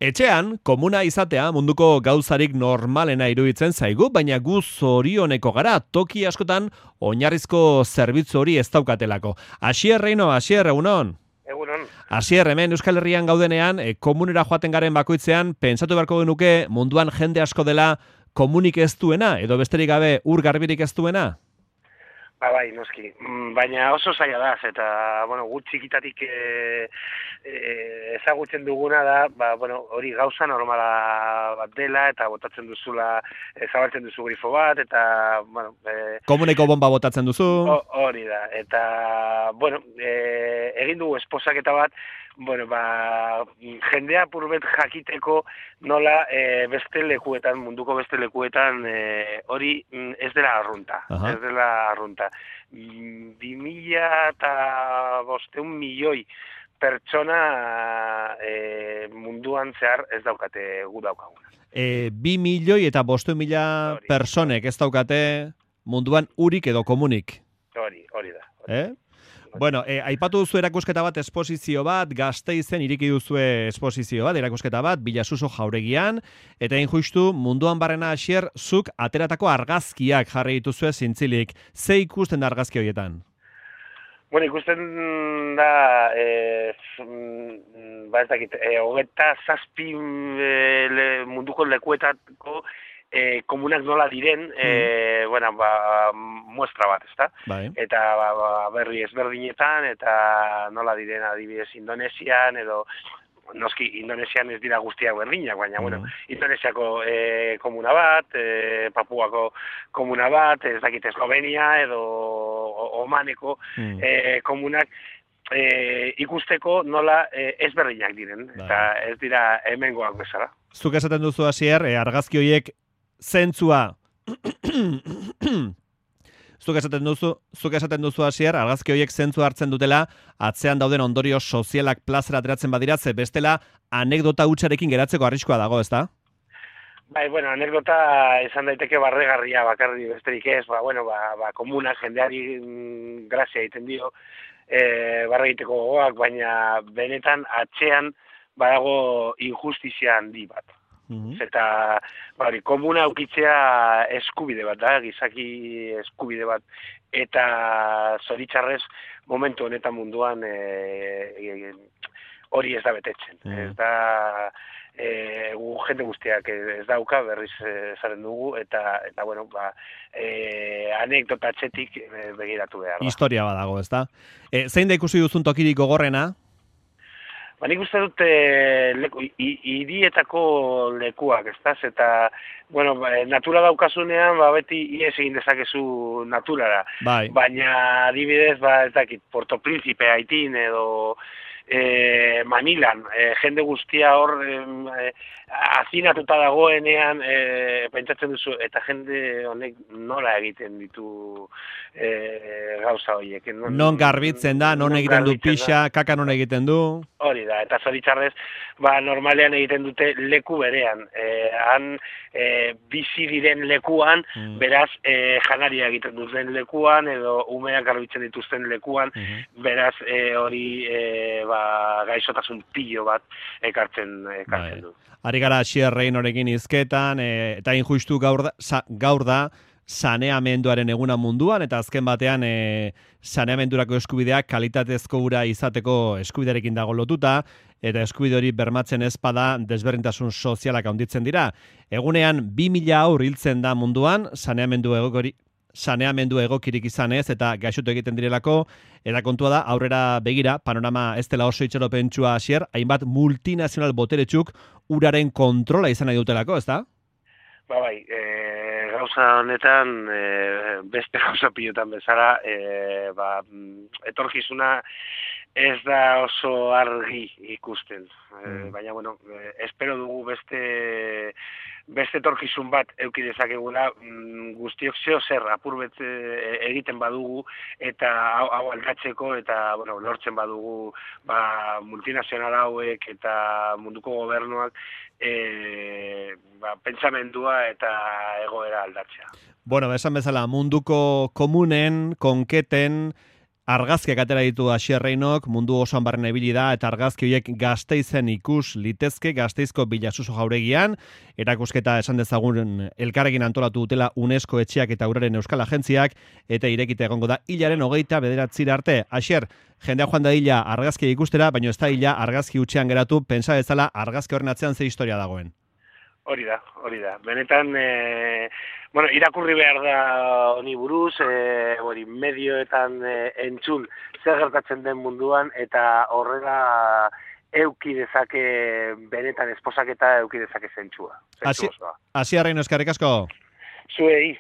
Etxean, komuna izatea munduko gauzarik normalena iruditzen zaigu, baina gu zorioneko gara toki askotan oinarrizko zerbitzu hori ez daukatelako. Asier Reino, Asier, egunon? Egunon. Asier, hemen Euskal Herrian gaudenean, komunera joaten garen bakoitzean, pentsatu beharko genuke munduan jende asko dela komunik ez duena, edo besterik gabe ur garbirik ez duena? Bai, noski. Baina oso zaila da, eta, gut txikitatik ezagutzen duguna da, hori gauza normala bat dela, eta botatzen duzula, zabaltzen duzu grifo bat, eta, Komuneko bomba botatzen duzu? Hori da, eta, egin dugu esposaketa bat, jendea purbet jakiteko nola beste lekuetan, munduko beste lekuetan, hori ez dela arrunta. Ez dela arrunta. 2.500 milioi pertsona munduan zehar ez daukate gu daukaguna. 2.500.000 personek ez daukate munduan urik edo komunik. Hori da. Bueno, aipatu duzu erakusketa bat, esposizio bat, Gasteizen iriki duzue esposizio bat, erakusketa bat, Bilasuso jauregian, eta justu munduan barrena Asier, zuk ateratako argazkiak jarri dituzue zintzilik. Ze ikusten da argazki horietan? Ikusten da, ez dakit, 27 munduko lekuetako komunak nola diren, muestra bat, ezta? Bai. Eta berri ezberdinetan, eta nola diren adibidez Indonesian, edo noski Indonesian ez dira guztiak berdinak, baina, Indonesiako komuna bat, Papuako komuna bat, ez dakit Eslovenia, edo Omaneko komunak, ikusteko nola ezberdinak diren, eta ez dira hemengoak bezala. Zuk esaten duzu Asier, argazki horiek zentzua Zuk esaten duzu Asier, argazki horiek zentzua hartzen dutela, atzean dauden ondorio sozialak plazera ateratzen badira, ze bestela anekdota hutsarekin geratzeko arriskua dago, ezta? Bai, anekdota izan daiteke barregarria bakarri besterik ez, komuna jendeari grazia egiten dio, barre egiteko gogoak, baina benetan atzean badago injustizia handi bat. Eta komuna aukitzea eskubide bat da, gizaki eskubide bat, eta zoritxarrez momentu honetan munduan hori ez da betetzen. Ez da, jende guztiak ez dauka, berriz zaren dugu, eta anekdota atzetik begiratu behar da. Historia badago, ez da? Zein da ikusi duzun tokirik gogorrena? Nik uste dut hirietako lekuak, ezta? Eta, natura daukasunean, beti ies egin dezakezu naturara. Bai. Baina, adibidez, ez dakit, Porto Príncipe, Haitin, edo Manilan, jende guztia hor hazinatuta dagoenean pentsatzen duzu, eta jende honek nola egiten ditu gauza horiek. Non garbitzen da, non egiten du pixa, kaka non egiten du. Hori da, eta zoritxarrez, normalean egiten dute leku berean. Han bizi diren lekuan, beraz janaria egiten duten lekuan, edo umeak garbitzen dituzten lekuan, beraz hori gaixotasun pilo bat ekartzen du. Ari gara Asier Reinorekin hizketan, eta injustu gaur da saneamenduaren eguna munduan, eta azken batean saneamendurako eskubideak kalitatezko ura izateko eskubidearekin dago lotuta, eta eskubide hori bermatzen ezpada desberdintasun sozialak handitzen dira. Egunean 2.000 haur hiltzen da munduan, saneamendu egokirik izan ez, eta gaixotu egiten direlako, eta kontua da, aurrera begira, panorama ez dela oso itxaropentsua Asier, hainbat multinazional boteretsuk uraren kontrola izan nahi dutelako, ez da? Gauza honetan, beste gauza pilotan bezala, etorkizuna ez da oso argi ikusten. Baina, espero dugu beste etorkizun bat eduki dezakegula, guztiok zer apurbet egiten badugu, eta hau aldatzeko, eta lortzen badugu multinazional hauek eta munduko gobernuak pentsamendua eta egoera aldatzea. Esan bezala, munduko komunen, konketen, argazkiak atera ditu Asier Reinok, mundu osoan barren ibili da, eta argazki horiek Gasteizen ikus litezke, Gasteizko Bilasuso jauregian, erakusketa esan dezagun elkarrekin antolatu dutela UNESCO etxeak eta uraren euskal agentziak, eta irekita egongo da hilaren 29 arte. Asier, jendea joan da hila argazki ikustera, baina ez da hila argazki utxean geratu, pentsa bezala argazki horren atzean ze historia dagoen. Hori da. Benetan, irakurri behar da honi buruz, medioetan entzun zer gertatzen den munduan, eta horrela euki dezake, benetan esposaketa euki dezake zentsua. Asier Reino, eskerrik asko. Zuei.